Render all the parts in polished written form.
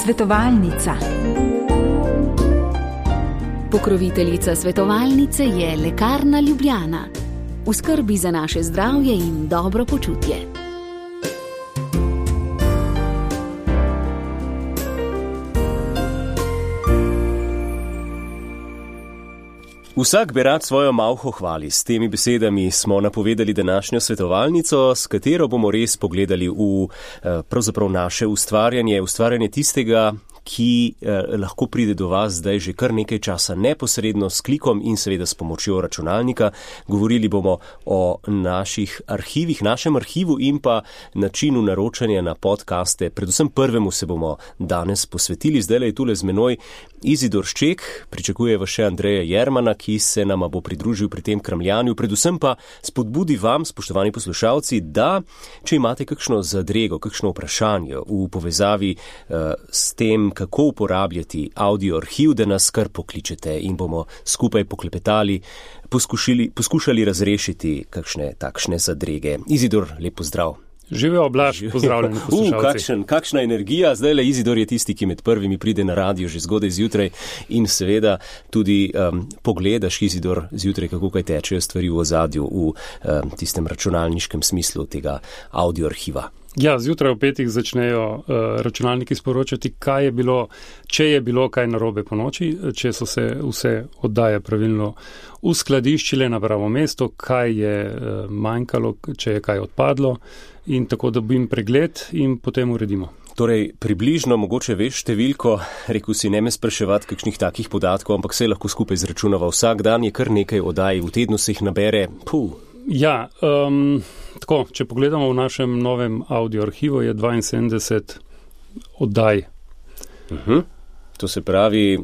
Svetovalnica. Pokroviteljica svetovalnice je Lekarna Ljubljana. V skrbi za naše zdravje in dobro počutje. Vsak bi rad svojo malho hvali. S temi besedami smo napovedali današnjo svetovalnico, s katero bomo res pogledali v pravzaprav naše ustvarjanje tistega, ki lahko pride do vas zdaj že kar nekaj časa neposredno s klikom in seveda s pomočjo računalnika. Govorili bomo o naših arhivih, našem arhivu in pa načinu naročanja na podcaste. Predvsem prvemu se bomo danes posvetili. Zdaj je tule z menoj Izidor Šček, pričakuje vas še Andreja Jermana, ki se nama bo pridružil pri tem kramljanju. Predvsem pa spodbudi vam, spoštovani poslušalci, da če imate kakšno zadrego, kakšno vprašanje v povezavi s tem, kako uporabljati audio arhiv, da nas kar pokličete in bomo skupaj poklepetali, poskušali razrešiti kakšne takšne zadrege. Izidor, lep pozdrav. Živijo, Blaž, pozdravljeni poslušalci. Kakšna energija. Zdaj le Izidor je tisti, ki med prvimi pride na radio že zgodaj zjutraj in seveda tudi pogledaš, Izidor, zjutraj, kako kaj tečejo stvari v ozadju v tistem računalniškem smislu tega audio arhiva. Ja, zjutraj v 5 začnejo računalniki sporočati, kaj je bilo, če je bilo kaj narobe po noči, če so se vse oddaje pravilno uskladiščile na pravo mesto, kaj je manjkalo, če je kaj odpadlo in tako dobim pregled in potem uredimo. Torej, približno, mogoče veš številko, rekel si, ne me spraševati kakšnih takih podatkov, ampak se lahko skupaj izračunava. Vsak dan je kar nekaj oddaj, v tednu se jih nabere. Ja, tako, če pogledamo v našem novem audio arhivu, je 72 oddaj. To se pravi,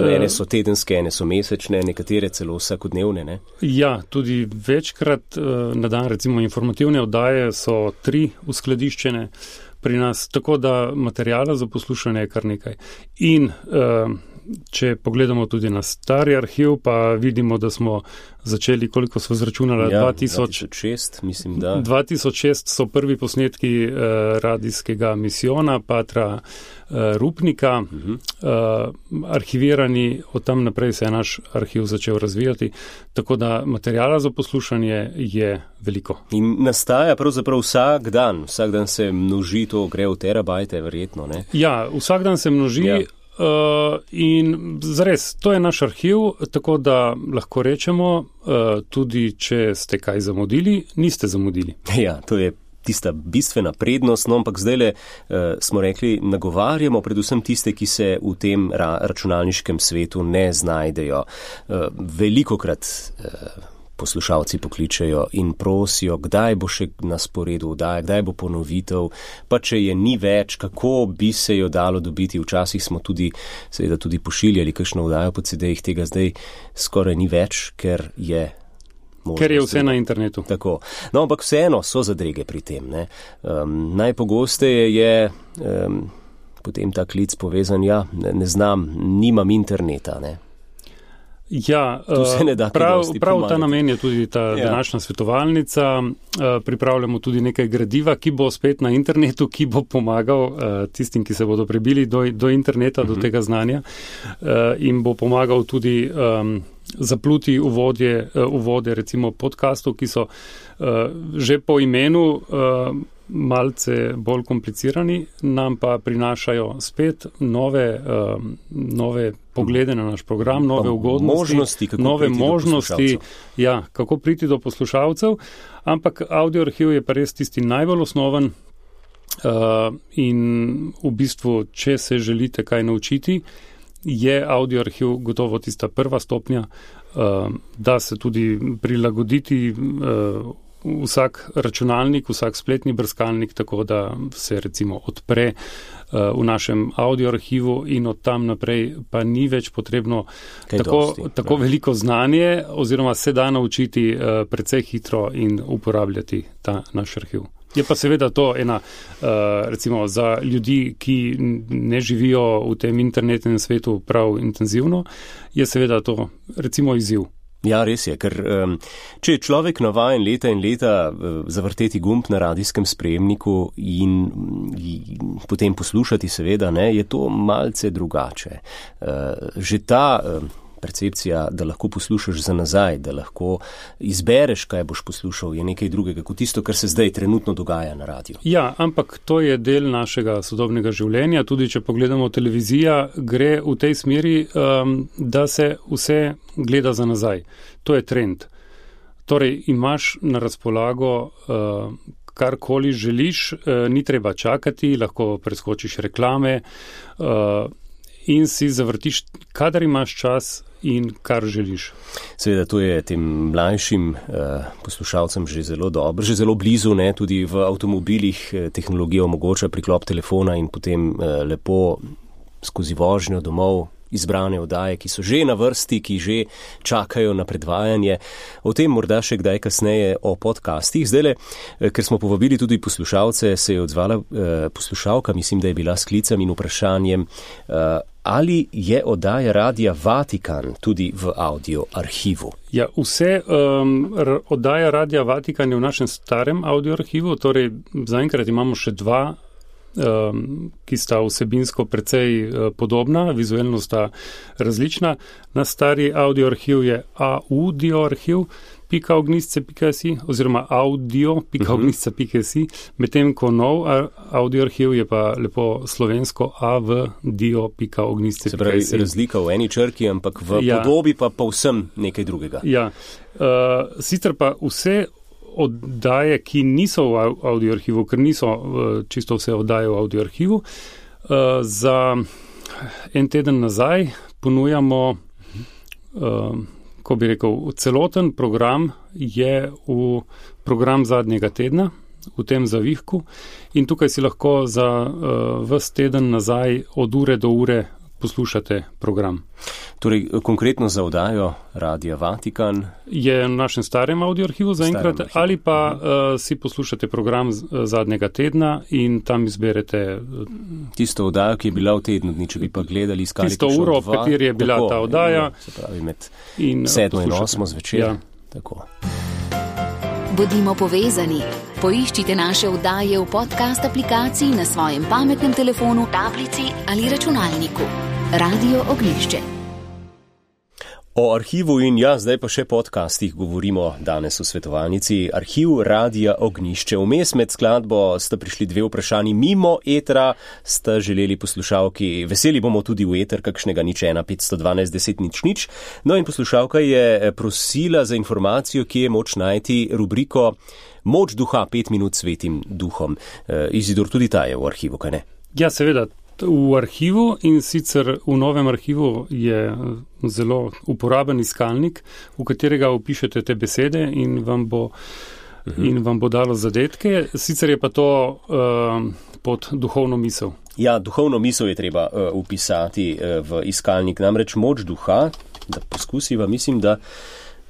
ene so tedenske, ene so mesečne, nekatere celo vsakodnevne, ne? Ja, tudi večkrat na dan, recimo informativne oddaje so 3 uskladiščene pri nas, tako da materijala za poslušanje je kar nekaj. In če pogledamo tudi na stari arhiv, pa vidimo, da smo začeli, koliko smo zračunali, 2006, mislim, da. 2006 so prvi posnetki radijskega misijona Patra Rupnika, arhivirani, od tam naprej se je naš arhiv začel razvijati, tako da materijala za poslušanje je veliko. In nastaja pravzaprav vsak dan se množi, to gre v terabajte, verjetno, ne? Ja, vsak dan se množi. Ja. In zares, to je naš arhiv, tako da lahko rečemo, tudi če ste kaj zamudili, niste zamudili. Ja, to je tista bistvena prednost, no, ampak zdajle smo rekli, nagovarjamo predvsem tiste, ki se v tem računalniškem svetu ne znajdejo. Velikokrat poslušalci pokličejo in prosijo, kdaj bo še na sporedu oddaja, kdaj bo ponovitev, pa če je ni več, kako bi se jo dalo dobiti. Včasih smo tudi pošiljali kakšno oddajo po CD-jih, tega zdaj skoraj ni več, ker je možnost. Ker je vse na internetu. Tako. No, ampak vseeno so zadrege pri tem, ne. Najpogosteje je potem ta klic povezan, ne znam, nimam interneta, ne. Ja, prav ta namen je tudi ta današnja svetovalnica. Pripravljamo tudi nekaj gradiva, ki bo spet na internetu, ki bo pomagal tistim, ki se bodo prebili do interneta, do tega znanja in bo pomagal tudi zapluti uvode recimo podcastov, ki so že po imenu malce bolj komplicirani, nam pa prinašajo spet nove poglede na naš program, nove ugodnosti, nove možnosti, ja, kako priti do poslušalcev, ampak audio arhiv je pa res tisti najbolj osnoven in v bistvu, če se želite kaj naučiti, je audio arhiv gotovo tista prva stopnja, da se tudi prilagoditi vsak računalnik, vsak spletni brskalnik, tako da se recimo odpre v našem audio arhivu in od tam naprej pa ni več potrebno tako veliko znanje oziroma se da naučiti precej hitro in uporabljati ta naš arhiv. Je pa seveda to ena, recimo za ljudi, ki ne živijo v tem internetnem svetu prav intenzivno, je seveda to recimo izziv. Ja, res je, ker če je človek navajen leta in leta zavrteti gumb na radijskem sprejemniku in potem poslušati seveda, ne, je to malce drugače. Že ta percepcija, da lahko poslušaš za nazaj, da lahko izbereš, kaj boš poslušal, je nekaj drugega kot tisto, kar se zdaj trenutno dogaja na radiju. Ja, ampak to je del našega sodobnega življenja. Tudi če pogledamo televizija, gre v tej smeri, da se vse gleda za nazaj. To je trend. Torej, imaš na razpolago karkoli želiš, ni treba čakati, lahko preskočiš reklame in si zavrtiš, kadar imaš čas in kar želiš. Seveda, to je tem mlajšim poslušalcem že zelo dobro, že zelo blizu, ne, tudi v avtomobilih tehnologija omogoča priklop telefona in potem lepo skozi vožnjo domov izbrane oddaje, ki so že na vrsti, ki že čakajo na predvajanje. O tem morda še kdaj kasneje o podcastih. Zdajle, ker smo povabili tudi poslušalce, se je odzvala poslušalka, mislim, da je bila s klicem in vprašanjem, ali je oddaja Radia Vatikan tudi v audio arhivu? Ja, vse oddaja Radia Vatikan je v našem starem audio arhivu, torej zaenkrat imamo še dva, ki sta vsebinsko precej podobna, vizualno sta različna. Na stari audio arhiv je audioarhiv.ognjišče.si oziroma audio.ognjišče.si, medtem ko nov audio arhiv je pa lepo slovensko avdio.ognjišče.si. Se pravi, razlika v eni črki, ampak v podobi pa povsem nekaj drugega. Ja, sicer pa vse oddaje, ki niso v audio arhivu, ker niso čisto vse oddaje v audio arhivu, za en teden nazaj ponujamo, ko bi rekel, celoten program je v program zadnjega tedna, v tem zavihku, in tukaj si lahko za ves teden nazaj od ure do ure poslušate program. Torej, konkretno za oddajo Radia Vatikan je v našem starem audio arhivu zaenkrat, ali pa si poslušate program zadnjega tedna in tam izberete tisto oddajo, ki je bila v tednu dni, če bi pa gledali iskali tisto uro, v kateri je bila ta oddaja. Se pravi, med 7 in 8 zvečer. Ja. Tako. Bodimo povezani. Poiščite naše oddaje v podcast aplikaciji na svojem pametnem telefonu, tablici ali računalniku. Radio Ognjišče. O arhivu in zdaj pa še podcastih govorimo danes v svetovalnici. Arhiv Radia Ognjišče. Vmes med skladbo sta prišli dve vprašanji mimo etera, sta želeli poslušalki, veseli bomo tudi v eter kakšnega 015121000. No in poslušalka je prosila za informacijo, kje je moč najti rubriko Moč duha, 5 minut svetim duhom. Izidor, tudi ta je v arhivu, kaj ne? Ja, seveda. V arhivu, in sicer v novem arhivu je zelo uporaben iskalnik, v katerega upišete te besede in vam bo dalo zadetke. Sicer je pa to pod duhovno misel. Ja, duhovno misel je treba upisati v iskalnik. Namreč moč duha, da poskusiva, mislim, da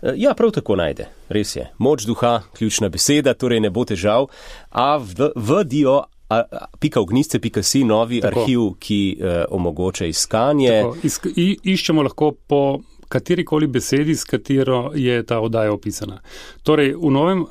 ja, prav tako najde. Res je. Moč duha, ključna beseda, torej ne bo težav. Ognjišče.si, novi arhiv, ki omogoča iskanje. Iščemo lahko po katerikoli besedi, s katero je ta oddaja opisana. Torej, v novem